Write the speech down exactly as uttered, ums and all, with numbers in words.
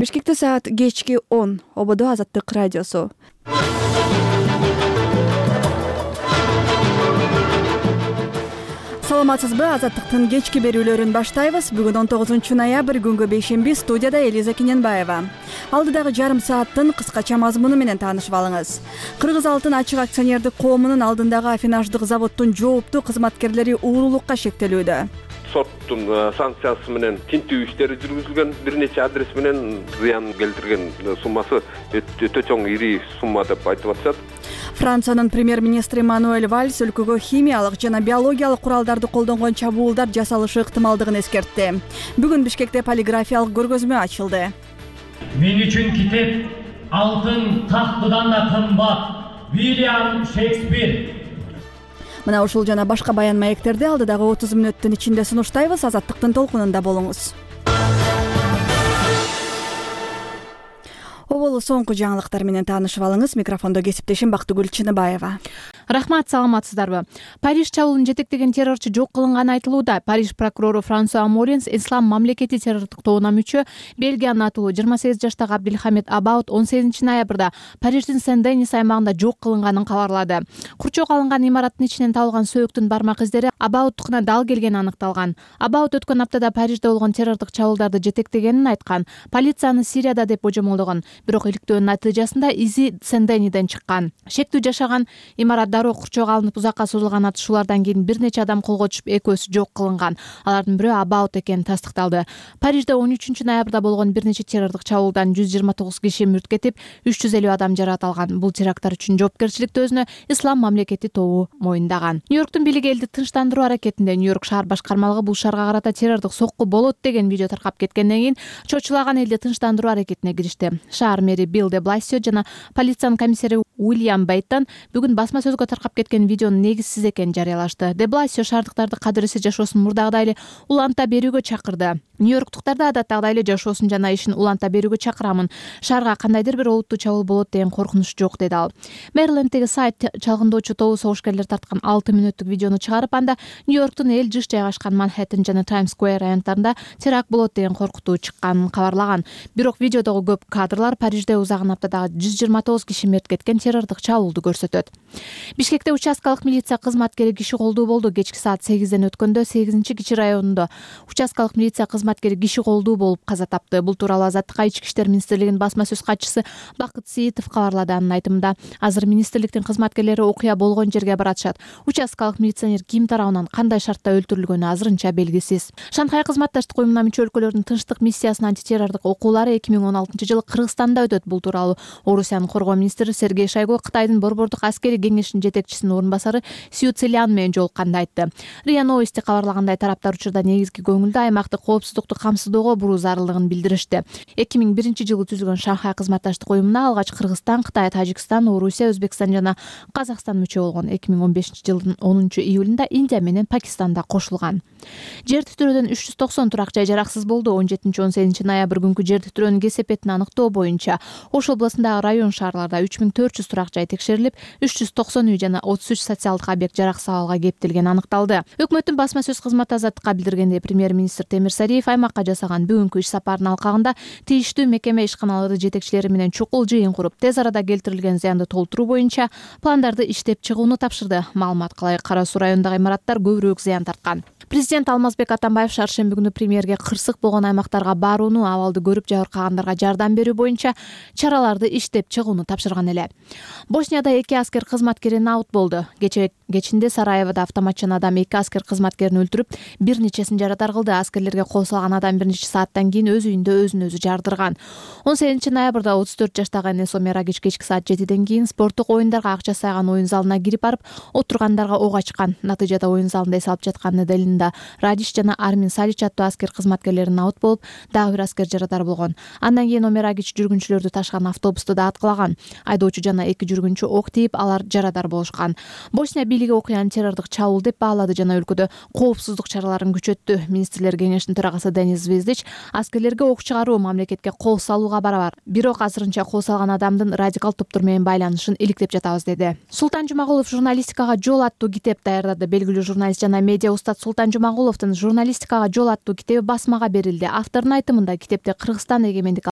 Бишкекте саат кечки он. Ободо Азаттык радиосу. Саламатсызбы? Азаттыктын кечки берүүлөрүн баштайбыз. Бүгүн он тогузунчу ноябрь күнгө бейшемби. Студияда Элиза Кененбаева. Алдыдагы жарым сааттын кыскача мазмуну менен таанышып алыңыз. Кыргыз алтын ачык акционердик коомунун алдындагы афинаждык заводдун жооптуу кызматкерлери уурулукка шектелүүдө. Соттун санкциясы менен тинтүү иштери жүргүзүлгөн, бир нече адрес менен зыян келтирген суммасы өтө чоң, ири сумма деп айтып атышат. Франциянын премьер-министри Мануэль Вальс өлкөгө химиялык жана биологиялык куралдарды колдонгон чабуулдар жасалышы ыктымалдыгын эскертти. Бүгүн Бишкекте полиграфиялык көргөзмө ачылды. Мен үчүн китеп алтын тактыдан да кымбат. Вильям Шекспир. Мына ушул жана башка баян маектерди алдыдагы отуз мүнөттүн ичинде сунуштайбыз. Азаттыктын толкунунда болуңуз. Оболу соңку жаңылыктар менен таанышып алыңыз. Микрофондо кесиптешим Бактыгүл Чыныбаева. Рахмат, саламатсыздарбы? Париж чабуулун жетектеген террорчу жок кылынганы айтылууда. Париж прокурору Франсуа Моренс Ислам мамлекети террордук тобуна мүчө Бельгиянын атылуу жыйырма сегиз жаштагы Абдилхамид Абаут он сегизинчи ноябрда Париждин Сен-Денис аймагында жок кылынганын кабарлады. Курчок алынган имараттын ичинен табылган сөөктүн бармак издери Абауттукуна дал келгени аныкталган. Абаут өткөн аптада Парижде болгон террордук чабуулдарды жетектегенин айткан. Полицияны Сирияда деп божомолдогон. Бирок иликтөөнүн натыйжасында изи Сен-Дениден чыккан. Шектүү жашаган имарат дароо курчок алынып узакка созулган атышуулардан кийин бир нече адам колго түшүп, экөөсү жок кылынган. Алардын бирөө Абаут экени тастыкталды. Парижде он үчүнчү ноябрда болгон бир нече террордук чабуулдан жүз жыйырма тогуз киши мүрт кетип, үч жүз элүү адам жаракат алган. Бул теракттар үчүн жоопкерчиликти өзүнө Ислам мамлекети тобу моюндаган. Нью-Йорктун бийлиги элди тынчтандыруу аракетинде Нью-Йорк шаар башкармалыгы бул шаарга карата террордук сокку болот деген видео таркап кеткенден кийин чочулаган элди тынчтандыруу аракетине киришти. Шаар мэри Билл де Бласио жана полициянын комиссари Уильям Бейттон бүгүн басма сөзгө таркап кеткен видеонун негизсиз экенин жарыялашты. Де Бласио шаардыктарды кадыресе жашоосун мурдагыдай эле уланта берүүгө чакырды. Нью-Йорктуктарды адаттагыдай эле жашоосун жана ишин уланта берүүгө чакырамын. Шаарга кандайдыр бир олуттуу чабуул болот деген коркунуч жок, деди ал. Мэриленддеги сайт чалгындоочу тобу согушкерлер тарткан алты мүнөттүк видеону чыгарып, анда Нью-Йорктун эл жыш жайгашкан Манхэттен жана Таймс-сквер райондорунда теракт болот деген коркутуу чыкканын кабарлаган. Бирок видеодогу көп кадрлар Парижде узагын аптадагы жүз жыйырма тогуз киши мерт кеткен террордук чабуулду көрсөтөт. Бишкекте участкалык милиция кызматкери киши колдуу болду. Кечки саат сегизден өткөндө сегизинчи кичи районунда участкалык милиция кызматкери киши колдуу болуп каза тапты. Бул тууралуу Азаттыкка Ички иштер министрлигинин басма сөз катчысы Бакыт Сиитов кабарлады. Анын айтымында, азыр министрликтин кызматкерлери окуя болгон жерге баратышат. Участкалык милиционер ким тарабынан кандай шартта өлтүрүлгөнү азырынча белгисиз. Шанхай кызматташтык уюмуна мүчө өлкөлөрдүн тынчтык миссиясынын антитеррордук окуулары эки миң он алтынчы жылы Кыргызстанда өтөт. Бул тууралуу Орусиянын коргоо министри Сергей Шойгу Кытайдын борбордук аскери кеңешинин жетекчисинин орун басары Сью Цзилян менен жолукканда айтты. РИА Новости кабарлагандай, тараптар учурда негизги көңүлдү аймактык коопсуздукту камсыздоого буруу зарылдыгын билдиришти. эки миң биринчи жылы түзүлгөн Шанхай кызматташтык уюмуна алгач Кыргызстан, Кытай, Тажикстан, Орусия, Өзбекстан жана Казакстан мүчө болгон. эки миң он бешинчи жылдын онунчу июлунда Индия менен Пакистан да кошулган. Жер титирөөдөн үч жүз токсон турак жай жараксыз болду. он жетинчи он сегизинчи ноябрь күнкү жер титирөөнүн кесепетин аныктоо боюнча Ош областындагы район шаарларда үч миң төрт жүз турак жай текшерилип, үч жүз токсон үй жана отуз үч социалдык объект жараксыз абалга кептелгени аныкталды. Өкмөттүн басма сөз кызматы Азаттыкка билдиргендей, премьер-министр Темир Сариев аймакка жасаган бүгүнкү иш сапарынын алкагында тийиштүү мекеме ишканалары жетекчилери менен чукул жыйын куруп, тез арада келтирилген зыянды толтуруу боюнча пландарды иштеп чыгууну тапшырды. Маалымат кылай, Кара Суу районундагы имараттар көбүрөөк зыян тарткан. Президент Алмазбек Атамбаев шаршемби күнү премьерге кырсык болгон аймактарга барууну, абалды көрүп жабыркагандарга жардам берүү боюнча чараларды иштеп чыгууну тапшырган эле. Боснияда эки аскер кызматкери наут болду. Кече кечинде Сараевода автоматчан адам эки аскер кызматкерин өлтүрүп, бир нечесин жаратар кылды. Аскерлерге кол салган адам бир нече сааттан кийин өз үйүндө өзүн өзү жардырган. он сегизинчи ноябрда отуз төрт жаштагы Энесо Мерагич кечки саат жетиден кийин спорттук оюндарга акча сайган оюн залына кирип барып, отургандарга ок ачкан. Натыйжада оюн залында эс алып жаткан Неделинда Радиш жана Армин Салич аттуу аскер кызматкерлери наут болуп, дагы бир аскер жаратар болгон. Андан кийин Омерагич жүргүнчүлөрдү ташыган автобусту да аткылаган. Айдоочу жана эки жүргүнчү ок тийип, алар жарадар болушкан. Босния бийлиги окуяны террордук чабуул деп баалады жана өлкөдө коопсуздук чараларын күчөттү. Министрлер кеңешинин төрагасы Денис Звездич аскерлерге ок чыгаруу мамлекетке кол салууга барабар. Бирок азырынча кол салган адамдын радикал топтор менен байланышын иликтеп жатабыз, деди. Султан Жумагулов журналистикага жол аттуу китеп даярдады. Белгилүү журналист жана медиа устат Султан Жумагуловдун журналистикага жол аттуу китеби басмага берилди. Автордун айтымында, китепте Кыргызстан эгемендик